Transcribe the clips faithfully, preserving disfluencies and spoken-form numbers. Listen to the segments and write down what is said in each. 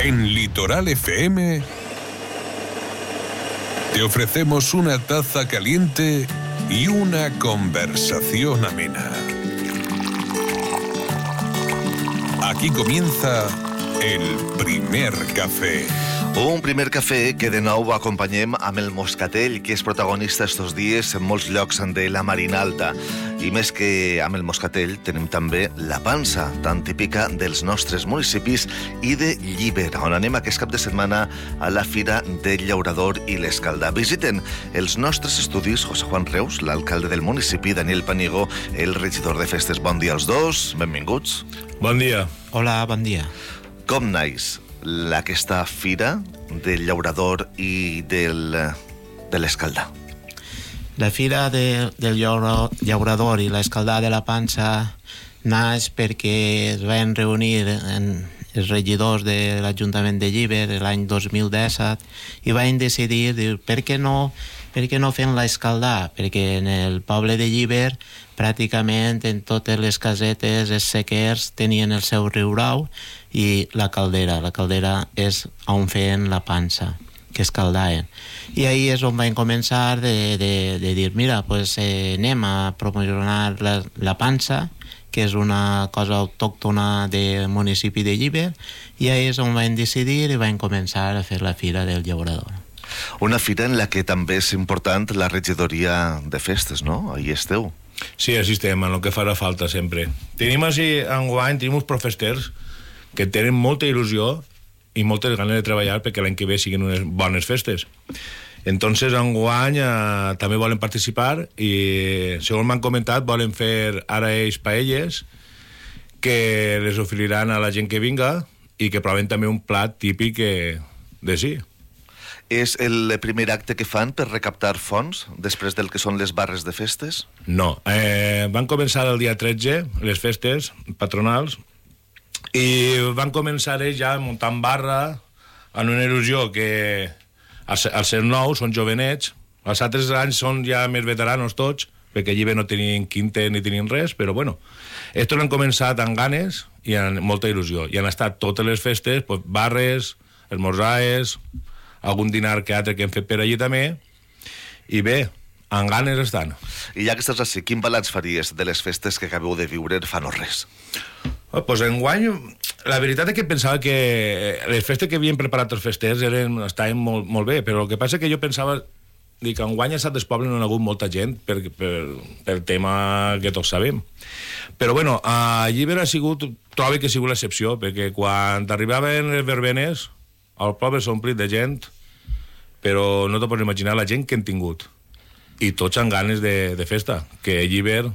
En Litoral F M te ofrecemos una taza caliente y una conversación amena. Aquí comienza el primer café. Un primer cafè que de nou acompanyem amb el moscatell, que és protagonista estos dies en molts llocs de la Marina Alta. I més que amb el moscatell tenim també la pansa, tan típica dels nostres municipis, i de Llíber, on anem aquest cap de setmana a la Fira del Llaurador i l'Escaldà. Visiten els nostres estudis José Juan Reus, l'alcalde del municipi, Daniel Panigo, el regidor de festes. Bon dia als dos, benvinguts. Bon dia. Hola, bon dia. Com naix aquesta fira del llaurador i del, de l'Escaldà? La fira de, del llaurador i l'Escaldà de la Pansa naix perquè es van reunir en els regidors de l'Ajuntament de Llíber l'any dos mil disset i van decidir, dir, per què no, per què no fem l'Escaldà? Perquè en el poble de Llíber pràcticament en totes les casetes, els sequers tenien el seu riu brau i la caldera. La caldera és on feien la pansa, que escaldaven. I ahir és on vam començar de, de, de dir, mira, pues, eh, anem a promocionar la, la pansa, que és una cosa autòctona del municipi de Llíber, i ahir és on vam decidir i vam començar a fer la Fira del Llaurador. Una fira en la que també és important la regidoria de festes, no? Ahí esteu. Sí, així estem, en el que farà falta sempre. Tenim així, enguany, tenim uns profesters que tenen molta il·lusió i moltes ganes de treballar perquè l'any que ve siguin unes bones festes. Entonces, enguany eh, també volen participar i, segons m'han comentat, volen fer ara ells paelles que les oferiran a la gent que vinga i que proven també un plat típic de sí. És el primer acte que fan per recaptar fons després del que són les barres de festes? No, eh, van començar el dia tretze les festes patronals i van començar ells ja muntant barra en una il·lusió que al ser nous són jovenets, els altres anys són ja més veteranos tots, perquè allí no tenien quinte ni tenien res, però bueno, estos han començat amb ganes i amb molta il·lusió, i han estat totes les festes, pues, barres, esmorzaes, algun dinar que altre que hem fet per allí també, i bé, amb ganes estan. I ja que estàs així, quin balanç faries de les festes que acabeu de viure fa no res? Oh, pues enguany, la veritat és que pensava que les festes que havien preparat els festers eren, estaven molt, molt bé, però el que passa és que jo pensava que enguany a Sant Despoble no hi ha hagut molta gent per, per, per tema que tots sabem. Però bueno, a Llíber ha sigut, trobo que ha sigut l'excepció, perquè quan arribaven les verbenes el poble s'ha omplit de gent, però no te pots imaginar la gent que hem tingut. I tots amb ganes de, de festa, que Llíber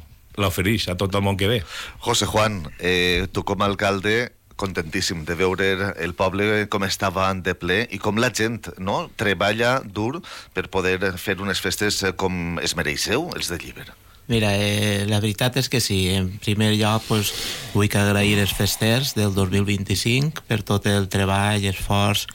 l'ofereix a tot el món que ve. José Juan, eh, tu com a alcalde, contentíssim de veure el poble com estava de ple i com la gent, no?, treballa dur per poder fer unes festes com es mereixeu, els de Llíber. Mira, eh, la veritat és que sí. En primer lloc, pues, vull agrair els festers del dos mil vint-i-cinc per tot el treball i esforç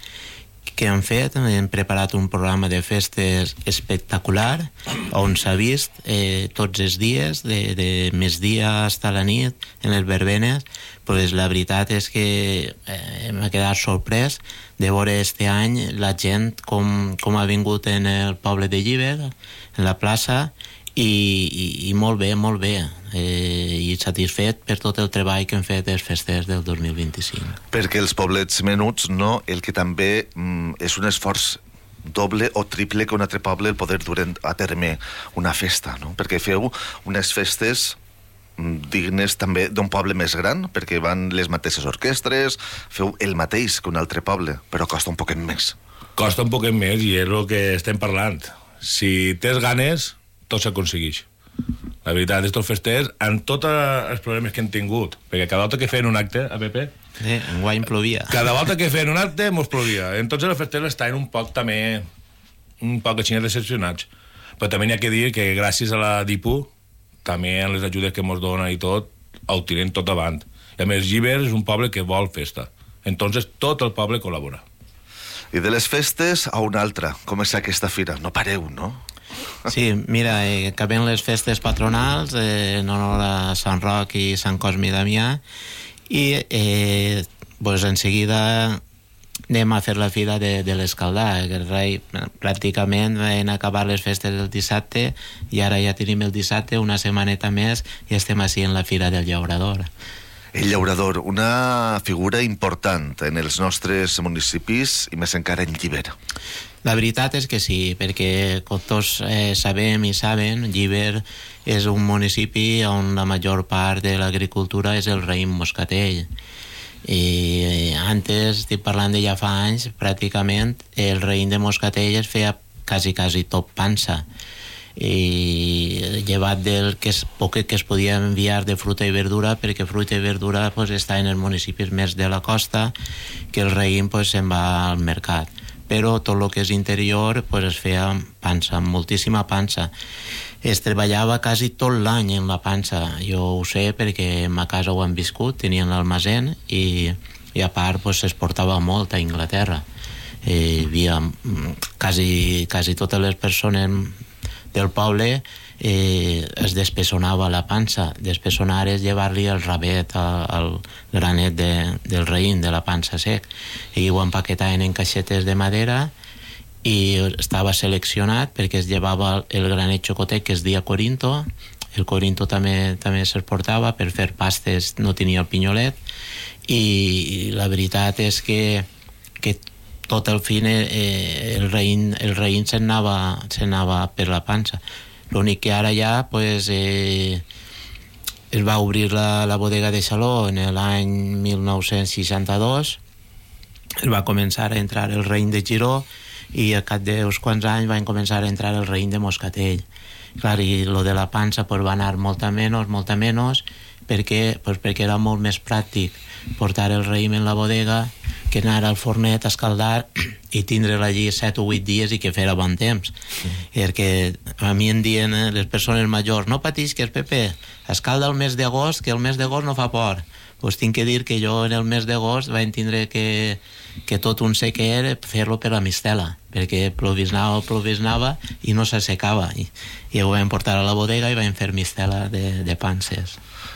que han fet. Hem preparat un programa de festes espectacular on s'ha vist eh, tots els dies, de, de migdia fins a la nit, en les verbenes. Pues la veritat és que eh, m'ha quedat sorprès de veure este any la gent com, com ha vingut en el poble de Llíber, en la plaça, I, i, i molt bé, molt bé, eh, i satisfet per tot el treball que hem fet els festers del dos mil vint-i-cinc. Perquè els poblets menuts, no, el que també mm, és un esforç doble o triple que un altre poble el poder dur a terme una festa, no? Perquè feu unes festes mm, dignes també d'un poble més gran, perquè van les mateixes orquestres, feu el mateix que un altre poble, però costa un poquet més. Costa un poquet més i és el que estem parlant. Si tens ganes, tot s'aconsegueix. La veritat, estos festers, amb tots els problemes que hem tingut, perquè cada volta que feien un acte, a Pepe, eh, enguany plovia. Cada volta que feien un acte, mos plovia. Entonces els festers estaven un poc també, un poc així decepcionats. Però també n'hi ha que dir que gràcies a la D I P U, també en les ajudes que mos dona i tot, ho tirem tot avant. I a més, Llíber és un poble que vol festa. Entonces tot el poble col·labora. I de les festes a una altra, com és aquesta fira? No pareu, no? Sí, mira, eh, acabem les festes patronals eh, en honor a Sant Roc i Sant Cosme i Damià i eh, pues en seguida anem a fer la fira de, de l'escaldar. El rei pràcticament van acabar les festes el dissabte i ara ja tenim el dissabte, una setmaneta més, i estem així en la fira del llaurador. El llaurador, una figura important en els nostres municipis i més encara en Llíber. La veritat és que sí, perquè com tots eh, sabem i saben, Llíber és un municipi on la major part de l'agricultura és el raïm moscatell. I antes, estic parlant de ja fa anys, pràcticament el raïm de moscatell es feia quasi, quasi tot pansa. I llevat del que es, poc que es podia enviar de fruita i verdura, perquè fruita i verdura pues, està en els municipis més de la costa, que el raïm pues, se'n va al mercat. Però tot el que és interior pues, es feia pansa, moltíssima pansa. Es treballava quasi tot l'any en la pansa. Jo ho sé perquè a ma casa ho han viscut, tenien l'almacén i, i a part pues, es portava molt a Inglaterra. Eh, hi havia quasi, quasi totes les persones del poble eh, es despessonava la pansa. Despessonar és llevar-li el rabet al granet de, del raïm, de la pansa sec, i ho empaquetaven en caixetes de madera i estava seleccionat perquè es llevava el granet xocotet que es deia Corinto. El Corinto també, també se'l portava per fer pastes, no tenia el pinyolet, i la veritat és que, que tot el fin eh, el raïm, el raïm se'n anava, se'n anava per la pansa. L'únic que ara ja pues, eh, es va obrir la, la bodega de Xaló en l'any mil nou-cents seixanta-dos, es va començar a entrar el raïm de Giró i al cap d'uns quants anys van començar a entrar el raïm de Moscatell. Clar, i lo de la pansa pues, va anar molta menys, molta menys, perquè, pues, perquè era molt més pràctic portar el raïm en la bodega que anar al fornet a escaldar i tindre-la allí set o vuit dies i que fera bon temps. Mm. Perquè a mi em diuen eh, les persones majors, no patisques, Pepe, escalda el mes d'agost, que el mes d'agost no fa por. Pues tinc que dir que jo en el mes d'agost vaig tindre que, que tot un sequer fer-lo per la mistela, perquè plovisnava o plovisnava i no s'assecava. I, i ho vam portar a la bodega i vam fer mistela de, de panses.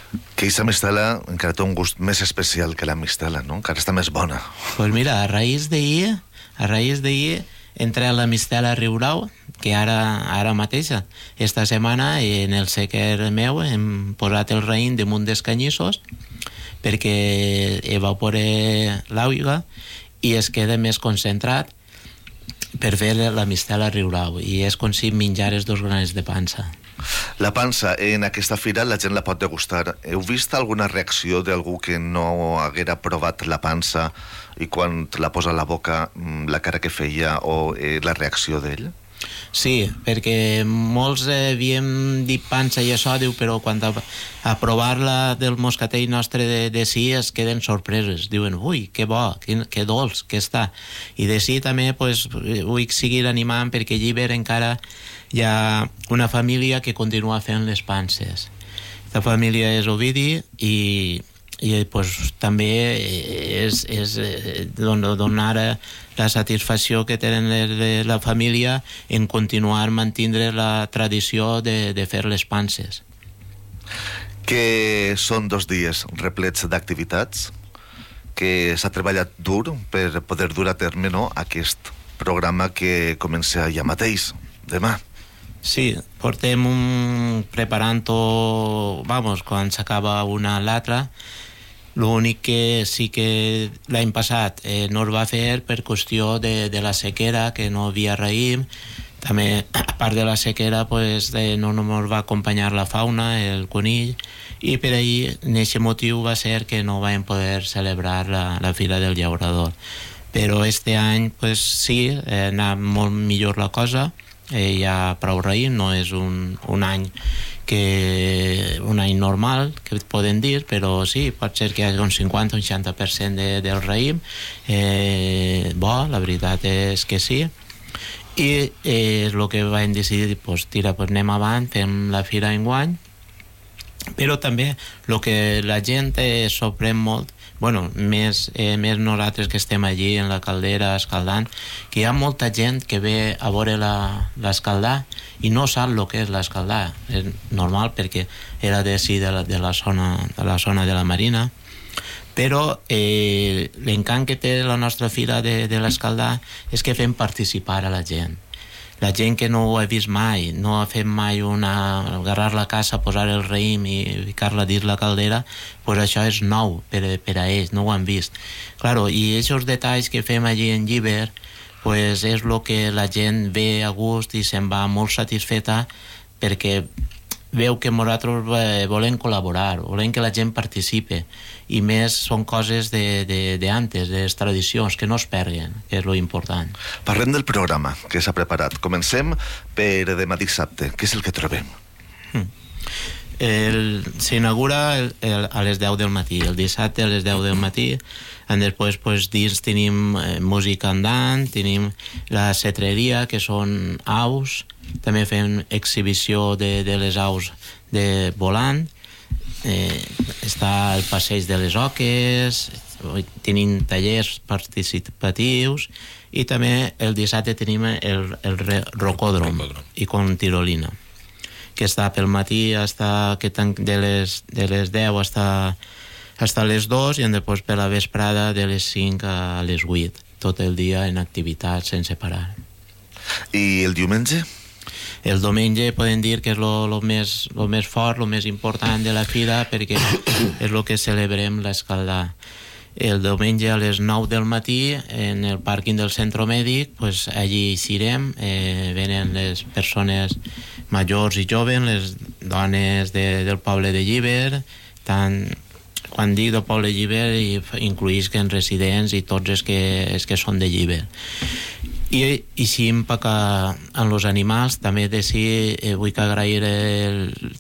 Que aquesta mistela encara té un gust més especial que la mistela, no? Encara està més bona. Pues mira, a raïs d'ahir, a raïs d'ahir, entré a la mistela Riurau, que ara, ara mateixa, esta setmana en el sequer meu hem posat el raïm damunt dels canyissos perquè evapore l'aigua i es queda més concentrat per fer la mistela Riurau, i és com si menjares dos granets de pansa. La pansa, en aquesta fira la gent la pot degustar. Heu vist alguna reacció d'algú que no haguera provat la pansa i quan la posa a la boca la cara que feia o eh, la reacció d'ell? Sí, perquè molts eh, havíem dit pansa i això, diu, però quan a, a provar-la del moscatell nostre de, de sí es queden sorpreses. Diuen, ui, que bo, que, que dolç que està. I de sí també pues, vull seguir animant perquè a Llíber encara hi ha una família que continua fent les panses. La família és Ovidi i, i pues, també és, és donar la satisfacció que tenen de la família en continuar mantindre la tradició de, de fer les panses. Que són dos dies replets d'activitats, que s'ha treballat dur per poder dur a terme, no, aquest programa que comença ja mateix, demà. Sí, portem un preparant-ho, vamos, quan s'acaba una a l'altra. L'únic que sí que l'any passat eh, no es va fer per qüestió de, de la sequera, que no havia raïm. També, a part de la sequera, pues, eh, no només va acompanyar la fauna, el conill, i per ahir, en aquest motiu, va ser que no vam poder celebrar la, la Fira del Llaurador. Però este any, pues, sí, eh, anà molt millor la cosa. Eh, hi ha prou raïm, no és un, un any que un any normal, que poden dir, però sí, pot ser que hi hagi un cinquanta o un seixanta per cent de, del raïm. Eh, bo, la veritat és que sí. I eh, el que vam decidir, pues, tira, pues, anem avant, fem la fira enguany, però també el que la gent eh, sorprèn molt, bueno, més, eh, més nosaltres que estem allí en la caldera escaldant, que hi ha molta gent que ve a veure l'escaldar i no sap el que és l'escaldar. És normal perquè era de, sí, de, la, de, la zona, de la zona de la Marina, Però eh, l'encant que té la nostra fira de, de l'Escaldà és que fem participar a la gent. La gent que no ho ha vist mai, no ha fet mai una... agarrar la casa, posar el raïm i ficar-la dins la caldera, pues això és nou per, per a ells, no ho han vist. Claro, i aquests detalls que fem allí en Llíber, pues és el que la gent ve a gust i se'n va molt satisfeta perquè veu que nosaltres volem col·laborar, volem que la gent participe, i més són coses de, de, de antes, de les tradicions, que no es perguen, que és lo important. Parlem del programa que s'ha preparat. Comencem per demà dissabte. Què és el que trobem? El, s'inaugura el, el, a les deu del matí, el dissabte a les deu del matí. Després, pues, dins tenim eh, música andant, tenim la cetreria, que són aus, també fem exhibició de, de les aus de volant, eh, està el passeig de les oques, tenim tallers participatius, i també el dissabte tenim el, el rocòdrom i con tirolina, que està pel matí hasta, que de, les, de les deu hasta, hasta les dos, i després per la vesprada de les cinc a les vuit, tot el dia en activitat sense parar. I el diumenge? El diumenge podem dir que és lo, lo, més, lo més fort, lo més important de la fira, perquè és el que celebrem l'Escaldà. El diumenge a les nou del matí, en el pàrquing del centre mèdic, pues, allí hi serem, eh, venen les persones majors i joves, les dones de, del poble de Llíber, tant, quan dic del poble de Llíber, incluïsquen residents i tots els que, els que són de Llíber. I, i si em peca en els animals, també de si eh, vull que agrair el,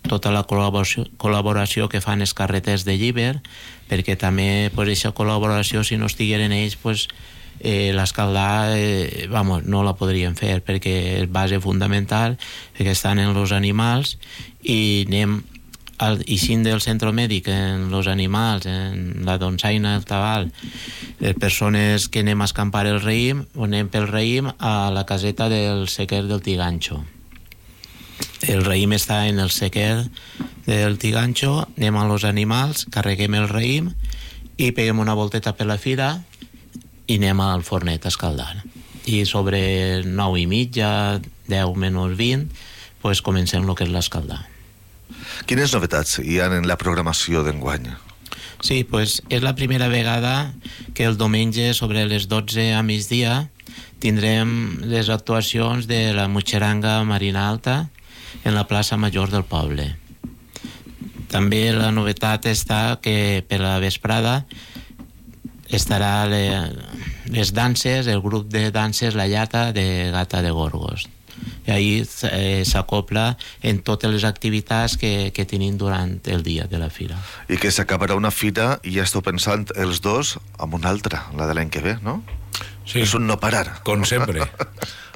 tota la col·laboració, col·laboració que fan els carreters de Llíber, perquè també pues, aquesta col·laboració, si no estigueren ells, pues, eh, l'Escaldà eh, vamos, no la podríem fer, perquè és base fundamental, perquè estan en els animals, i anem al ixint del centre mèdic en els animals, en la donsaina, el tabal, les persones que anem a escampar el raïm, anem pel raïm a la caseta del sequer del Tigancho. El raïm està en el sequer del Tigancho, anem a los animals, carreguem el raïm i peguem una volteta per la fira i anem al fornet a escaldar. I sobre nou i mitja, deu menys vint, pues comencem el que és l'escaldar. Quines novetats hi ha en la programació d'enguany? Sí, pues és la primera vegada que el diumenge sobre les dotze a migdia tindrem les actuacions de la Mutxeranga Marina Alta en la plaça Major del poble. També la novetat està que per la vesprada estarà le, les danses, el grup de danses La Llata de Gata de Gorgos. I ahir eh, s'acopla en totes les activitats que, que tenim durant el dia de la fira. I que s'acabarà una fira i ja esteu pensant els dos amb una altra, la de l'any que ve, no? Sí. És un no parar. Com sempre.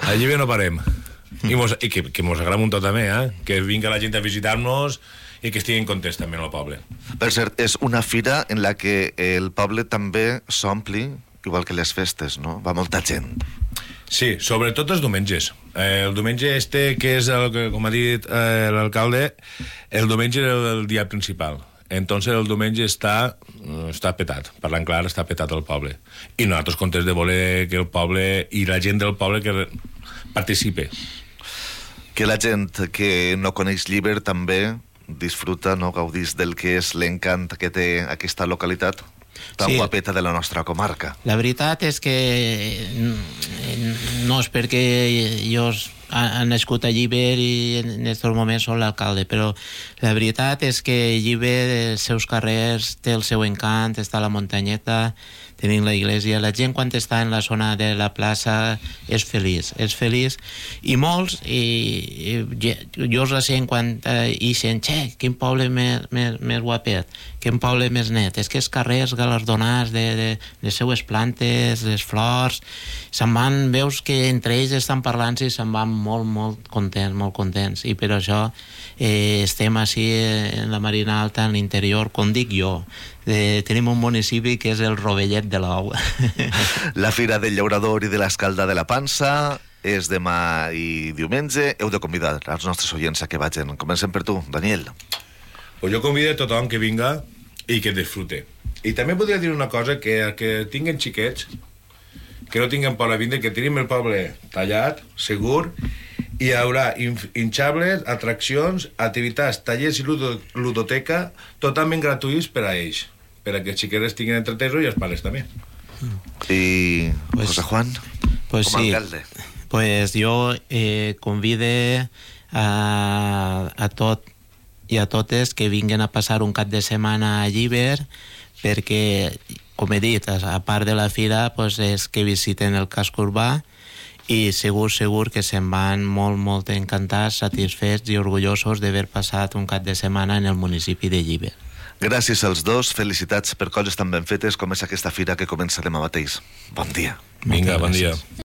Allí bé no parem. I, mos, i que, que mos agrada un tot també, eh? Que vinga la gent a visitar-nos i que estiguin contents també en el poble. Per cert, és una fira en la que el poble també s'ompli, igual que les festes, no? Va molta gent. Sí, sobretot els diumenges. Eh, el diumenge este, que és el que, com ha dit eh, l'alcalde, el diumenge és el dia principal. Entonces el diumenge està, està petat, parlant clar, està petat el poble. I nosaltres contents de voler que el poble i la gent del poble que participe. Que la gent que no coneix Llíber també disfruta, no, gaudís del que és l'encant que té aquesta localitat tan sí. guapeta de la nostra comarca. La veritat és que no és perquè jo he nascut a Llíber i en aquests moments soc l'alcalde, però la veritat és que Llíber, els seus carrers, té el seu encant, està la muntanyeta, tenim la iglesia, la gent quan està en la zona de la plaça és feliç, és feliç, i molts, i, i jo els sent quan eh, ixen, xe, quin poble més, més, més guapet, quin poble més net, és que els carrers galardonats de, de les seues plantes, les flors, se'n van, veus que entre ells estan parlant i se'n van molt, molt contents, molt contents, i per això eh, estem així en la Marina Alta, en l'interior, com dic jo, Eh, tenim un municipi que és el Rovellet de l'Ou. La Fira del Llaurador i de l'Escaldà de la Pansa és demà i diumenge. Heu de convidar els nostres oients a que vagin. Comencem per tu, Daniel. Pues jo convido a tothom que vinga i que disfrute. I també podria dir una cosa, que que tinguen xiquets, que no tinguin por a vindre, que tenim el poble tallat, segur, i hi haurà hinxables, atraccions, activitats, tallers i ludo, ludoteca totalment gratuïts per a ells, per a que els xiquets tinguin entretesos i els pares també. I Pues- José Juan, Pues com a sí, alcalde. pues jo eh, convide a, a tot i a totes que vinguen a passar un cap de setmana a Llíber, perquè, com he dit, a part de la fira, pues, és que visiten el casc urbà i segur, segur que se'n van molt, molt encantats, satisfets i orgullosos d'haver passat un cap de setmana en el municipi de Llíber. Gràcies als dos, felicitats per coses tan ben fetes com és aquesta fira que comença demà mateix. Bon dia. Vinga, Moltes bon dia. gràcies.